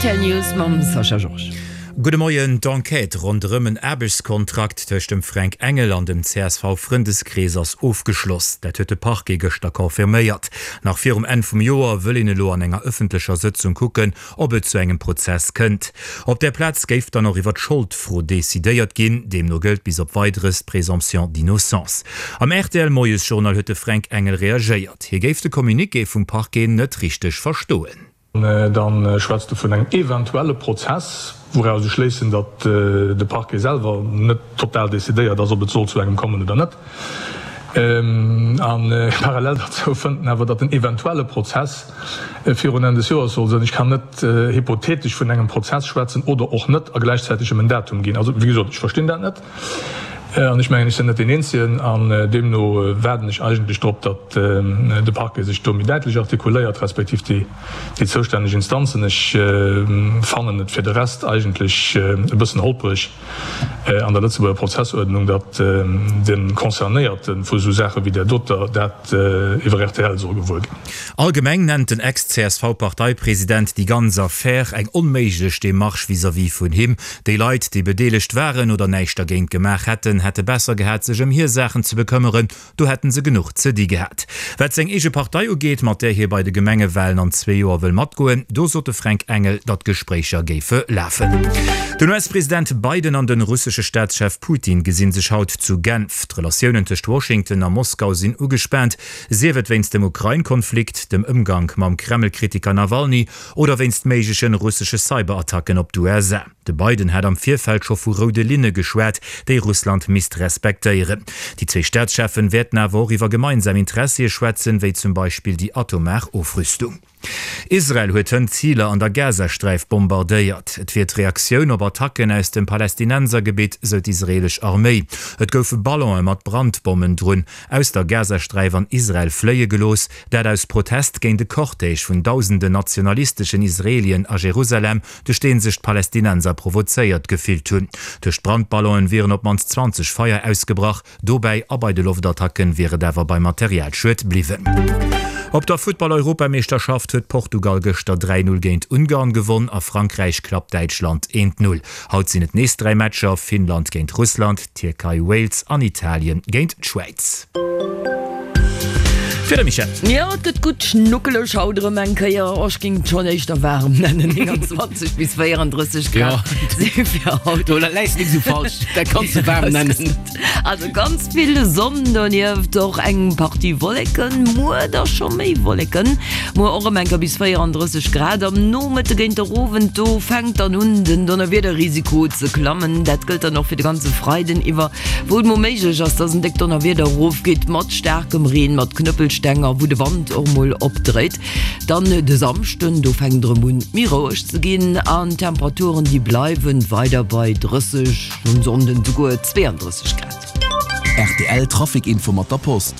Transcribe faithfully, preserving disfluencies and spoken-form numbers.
Rtl News mam Sascha Georges. Gudde Moien, D'Enquête ronderëm en Aarbechtskontrakt tëscht dem Fränk Engel an dem C S V-Frëndeskrees ass ofgeschloss. Dat huet de Parquet gëschter confirméiert. Nach virum Enn vum Joer wëll een elo an enger ëffentlecher Sëtzung kucken, ob et zu engem Prozess kënnt. Op där Plaz géif dann och iwwer d'Scholdfro decidéiert ginn. Deemno gëllt bis op Weideres d'Présomption d'innocence. Am R T L-Moiesjournal huet de Fränk Engel reagéiert. Hie géif de Communiqué vum Parquet net richteg verstoen. Dann schwätzt e vun engem eventuelle Prozess, wouraus ech schléissen, datt de Parquet selwer net total decidéiert ass, ob et soll zu engem kommen oder net. A parallel derzou fënnt en awer, datt en eventuelle Prozess virun Enn des Joers soll sinn. Ech kann net hypothetesch vun engem Prozess schwätzen oder och net a gläichzäiteg em en Datum ginn. Also, wéi gesot, ech verstinn dat net an ech mengen, ech sinn net deen Eenzegen an deemno waarden ech eigentlech drop, datt de Parquet sech do méi däitlech artikuléiert, respektiv déi zoustänneg Instanzen. Ech fannen et fir de Rest eigentlech e bëssen holpreg an der Lëtzebuerger Prozessuerdnung, datt de Concernéierte vu sou Saache wéi där doter dat iwwer R T L soll gewuer ginn. Allgemeng nennt den Ex-C S V-Parteipresident déi ganz Affär eng onméiglech Demarche vis-à-vis vun him. Déi Leit, déi bedeelegt waren oder näischt dergéint gemaach hätten, hätte besser gehat, sech ëm hir Saachen ze bekëmmeren, do hätten se genuch ze di gehat. Wat seng eege Partei ugeet, mat där hie bei de Gemengewalen an zwee Joer wëll matgoen, do sot de Fränk Engel, datt Gespréicher géife lafen. Den U S-President Biden an de russesche Staatschef Putin gesi sech haut zu Genf. D'Relatiounen tëscht Washington a Moskau sinn ugespaant, sief et wéinst dem Ukrain-Konflikt, dem Ëmgank mam Kreml-Kritiker Nawalny oder wéinst méigleche russesche Cyberattacken op d'U S A. De Biden hat am Virfeld scho vu roude Linne geschwat, déi Russland misst respektéieren. Déi zwee Staatscheffen wäerten awer och iwwer gemeinsam Interessie schwätzen, wéi zum Beispill déi atomar Ofrüstung. Israel huet hënt Ziler an der Gazasträif bombardéiert. Et wier d'Reaktioun op Attacken aus dem Palästinensergebitt, sou d'israeelesch Arméi. Et goufe Ballone mat Brandbommen drun aus der Gazasträif an Israel fléie gelooss, dat aus Protest géint de Cortège vun dausenden nationalisteschen Israelien a Jerusalem, duerch dee sech d'Palästinenser provozéiert gefillt hunn. Duerch d'Brandballonen wieren op d'mannst zwanzeg Feier ausgebrach, dobäi a bei de Loftattacken wier et awer bei Materialschued bliwwen. Op der Futtball-Europameeschterschaft huet Portugal gëschter dräi Null géint Ungarn gewonn a Frankräich klappt Däitschland eent Null. Haut sinn et nees dräi Matcher, Finnland géint Russland, Tierkei Wales an Italien géint d'Schwäiz. Fir de Michèle. Jo, et gëtt gutt schnuckeleg haut erëm eng Kéier. Oh, ech géing et schonn éischter waarem nennen, nénganzwanzeg bis véierandrësseg Grad si fir haut. Do läis de net esou falsch, dat kanns de waarm nennen. Also ganz vill Sonn, donieft och eng Partie Wolleken, muer da scho méi Wolleken, muer och erëm eng Kéier bis véierandrësseg Grad. Am Nomëtte géint der Owend, do fänkt dann un den Donnerwiederrisiko ze klammen. Dat gëllt dann och fir de ganze Freiden iwwer, wou et mol méiglech ass, dass en déckt Donnerwieder erofgeet mat staarkem Reen, mat Knëppelsteng a wou de Wand och mol opdréit. Dann de Samschden, do fänkt et erëm un méi roueg ze ginn an d'Temperaturen déi bleiwen weider bei drësseg, um Sonnden souguer zweeandrësseg Grad. R T L Trafic Info mat der Post.